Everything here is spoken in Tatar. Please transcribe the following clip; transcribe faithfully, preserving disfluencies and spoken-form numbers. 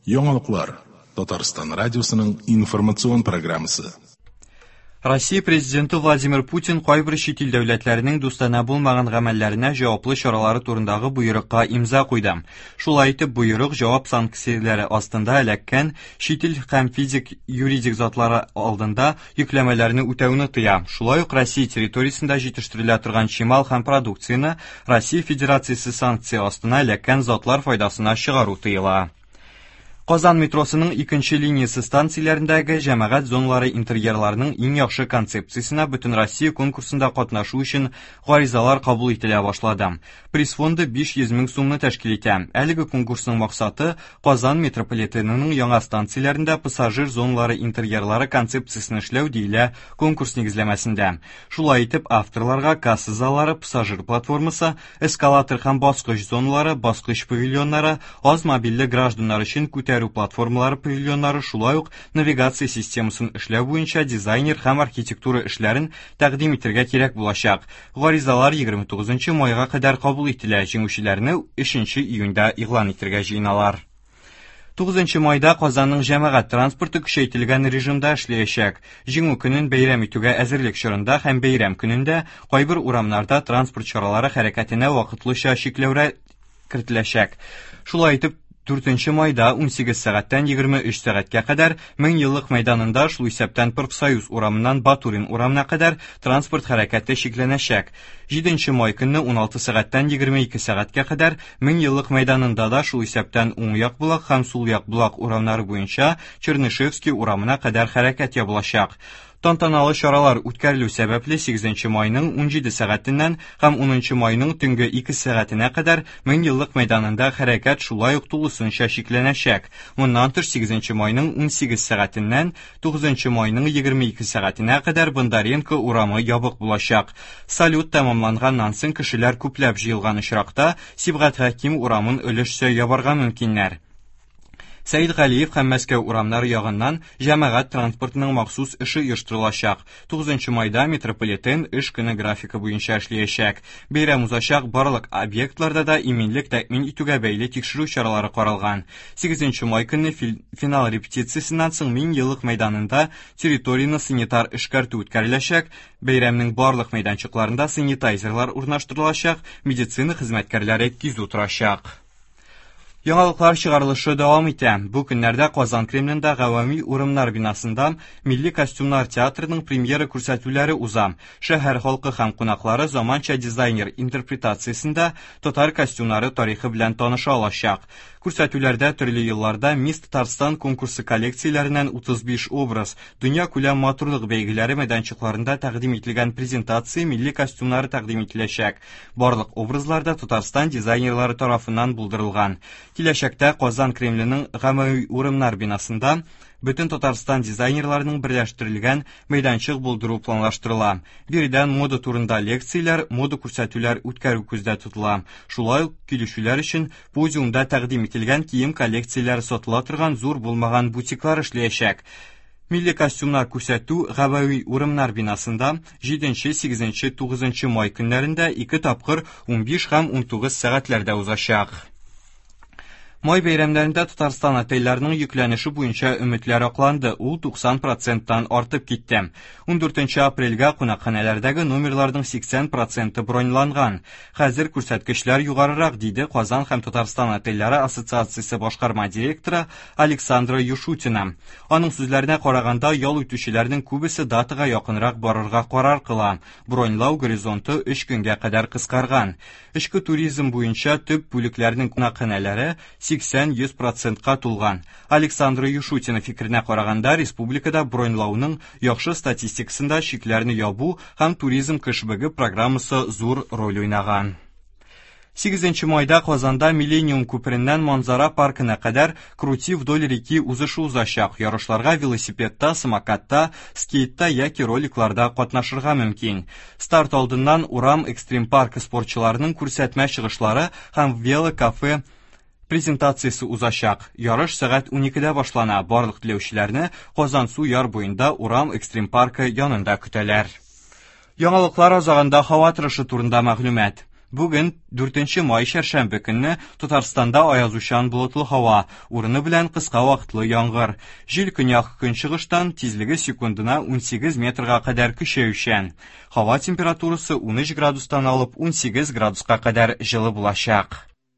Яңалыклар Татарстан радиосының информацион программасы. Россия президенты Владимир Путин кайбер чит ил дәүләтләренең дустанә булмаган гамәлләренә җаваплы чаралары турындагы боерыкка имза куйды. Шулай итеп, боерык җавап санкцияләре астында эләккән чит ил һәм физик юридик затлары алдында йөкләмәләрне үтәүне тыя. Шулай ук Россия территориясендә җитештерелә торган чимал һәм продукцияне Россия Федерациясе санкция астына эләккән затлар файдасына чыгару тыела. Казан метросының икенче линиясе станцияләрендәге җәмәгать зоналары интерьерларының иң яхшы концепциясенә Бөтенроссия конкурсында катнашу өчен гаризалар кабул ителә башлады. Приз фонды биш йөз мең сумны тәшкил итә. Әлеге конкурсның максаты Казан метрополитенының яңа станцияләрендә пассажир зоналары интерьерлары концепциясен эшләү диелә конкурс нигезләмәсендә. Шулай итеп, авторларга касса заллары, пассажир платформасы, эскалатор һәм баскыч зоналары, баскыч павильоннары, аз мобильле гражданнар өчен күтәрү платформалары павильоннары, шулай ук навигация системасын эшләү буенча дизайнер һәм архитектура эшләрен тәкъдим итәргә кирәк булачак. Гаризалар егерме тугызынчы майга кадәр кабул ителә. Җиңүчеләрне өченче июньдә игълан итәргә җыеналар. Тугызынчы майда Казанның җәмәгать транспорты көчәйтелгән режимда эшләячәк. Җиңү көнен бәйрәм итүгә әзерлек чорында һәм бәйрәм көнендә кайбер урамнарда транспорт чаралары хәрәкәтенә вакытлыча чикләүләр кертеләчәк. Шулай итеп, дүртенче майда ун сигез сәгатьтән егерме өч сәгатькә кадәр Мең еллык мәйданында, шул исәптән Профсоюз урамыннан Батурин урамына кадәр транспорт хәрәкәте чикләнәчәк. Җиденче май көнне ун алты сәгатьтән егерме ике сәгатькә кадәр Мең еллык мәйданында да, шул исәптән уң як Болак һәм сул як Болак урамнары буенча Чернышевский урамына кадәр хәрәкәт ябылачак. Тантаналы чаралар үткәрелү сәбәпле сигезенче майның ун җиде сәгатеннән һәм унынчы майның төнге ике сәгатенә кадәр Мең еллык мәйданында хәрәкәт шулай ук тулысынча чикләнәчәк. Моннан тыш сигезенче майның ун сигез сәгатеннән тугызынчы майның егерме ике сәгатенә кадәр Бондаренко урамы ябык булачак. Салют тәмамланганнан соң кешеләр күпләп җыелган очракта Сибгат Хәким урамын өлешчә ябарга мөмкиннәр. Сәид Галиев һәм Мәскәү урамнары ягыннан җәмәгать транспортының махсус эше оештырылачак. Тугызынчы майда метрополитен эш көне графикы буенча эшләячәк. Бәйрәм узачак барлык объектларда да иминлек тәэмин итүгә бәйле тикшерү чаралары каралган. Сигезенче май көнне фил-, финал репетициясеннән соң Мең еллык мәйданында территорияне санитар эшкәртү үткәреләчәк. Бәйрәмнең барлык мәйданчыкларында санитайзерлар урнаштырылачак, медицина хезмәткәрләре кизү торачак. Яңалыклар чыгарылышы дәвам итә. Бу көннәрдә Казан Кремлендә Гавами урыннар бинасында Милли костюмнар театрының премьера күрсәтүләре уза. Шәһәр халкы һәм кунаклары заманча дизайнер интерпретациясендә татар костюмнары тарихы белән таныша алачак. Күрсәтүләрдә төрле елларда Мисс Татарстан конкурсы коллекцияләреннән утыз биш образ, дөнья күләм матурлык бәйгеләре мәйданчыкларында тәкъдим ителгән презентация милли костюмнары тәкъдим ителәчәк. Барлык образлар да Татарстан дизайнерлары тарафыннан булдырылган. Киләчәктә Казан Кремленең Гамәви урыннар бинасында бөтен Татарстан дизайнерларының берләштерелгән мәйданчык булдыру планлаштырыла. Биредән мода турында лекцияләр, мода күрсәтүләр үткәрү күздә тотыла. Шулай ук килүчеләр өчен подиумда тәкъдим ителгән кием коллекцияләре сатыла торган зур булмаган бутиклар эшләячәк. Милли костюмнар күрсәтү Гавәви урыннар бинасында җиденче, сигезенче, тугызынчы май көннәрендә ике тапкыр унбиш һәм унтугыз сәгатьләрдә узачак. Май бәйрәмнәрендә Татарстан отельләренең йөкләнеше буенча өметләр акланды. Ул туксан проценттан артып китте. Ундүртенче апрельгә кунакханәләрдәге номерларның сиксән проценты броньланган. Хәзер күрсәткечләр югарырак, диде Казан һәм Татарстан отельләре ассоциациясе башкарма директоры Александра Юшутина. Аның сүзләренә караганда, ял итүчеләрнең күбесе датага якынрак барырга карар кыла. Броньлау горизонты өч көнгә кадәр кыскарган. Эчке туризм буенча төп бүлекләрнең кунакханәләре сиксән йөз процентка тулган. Александра Юшутина фикеренә караганда, республикада броньлауның яхшы статистикасында чикләрне ябу һәм туризм кешбэге программасы зур роль уйнаган. Сигезенче майда Казанда Миллениум күпереннән Манзара паркына кадәр Крути вдоль реки узышы узачак. Ярышларга велосипедта, самокатта, скейтта яки роликларда катнашырга мөмкин. Старт алдыннан Урам экстрим паркы спортчыларының күрсәтмә чыгышлары һәм велокафе презентациясе узачак. Ярыш сәгать уникедә башлана. Барлык теләүчеләрне Казан су яр буенда Урам экстрим паркы янында көтәләр. Яңалыклар азагында һава торышы турында мәгълүмат. Бүген, дүртенче май чәршәмбе көнне, Татарстанда аязучан болытлы һава, урыны белән кыска вакытлы яңгыр. Җил көньяк-көнчыгыштан, тизлеге секундына унсигез метрга кадәр көчәючән. Һава температурасы унөч градустан алып унсигез градуска кадәр җылы булачак.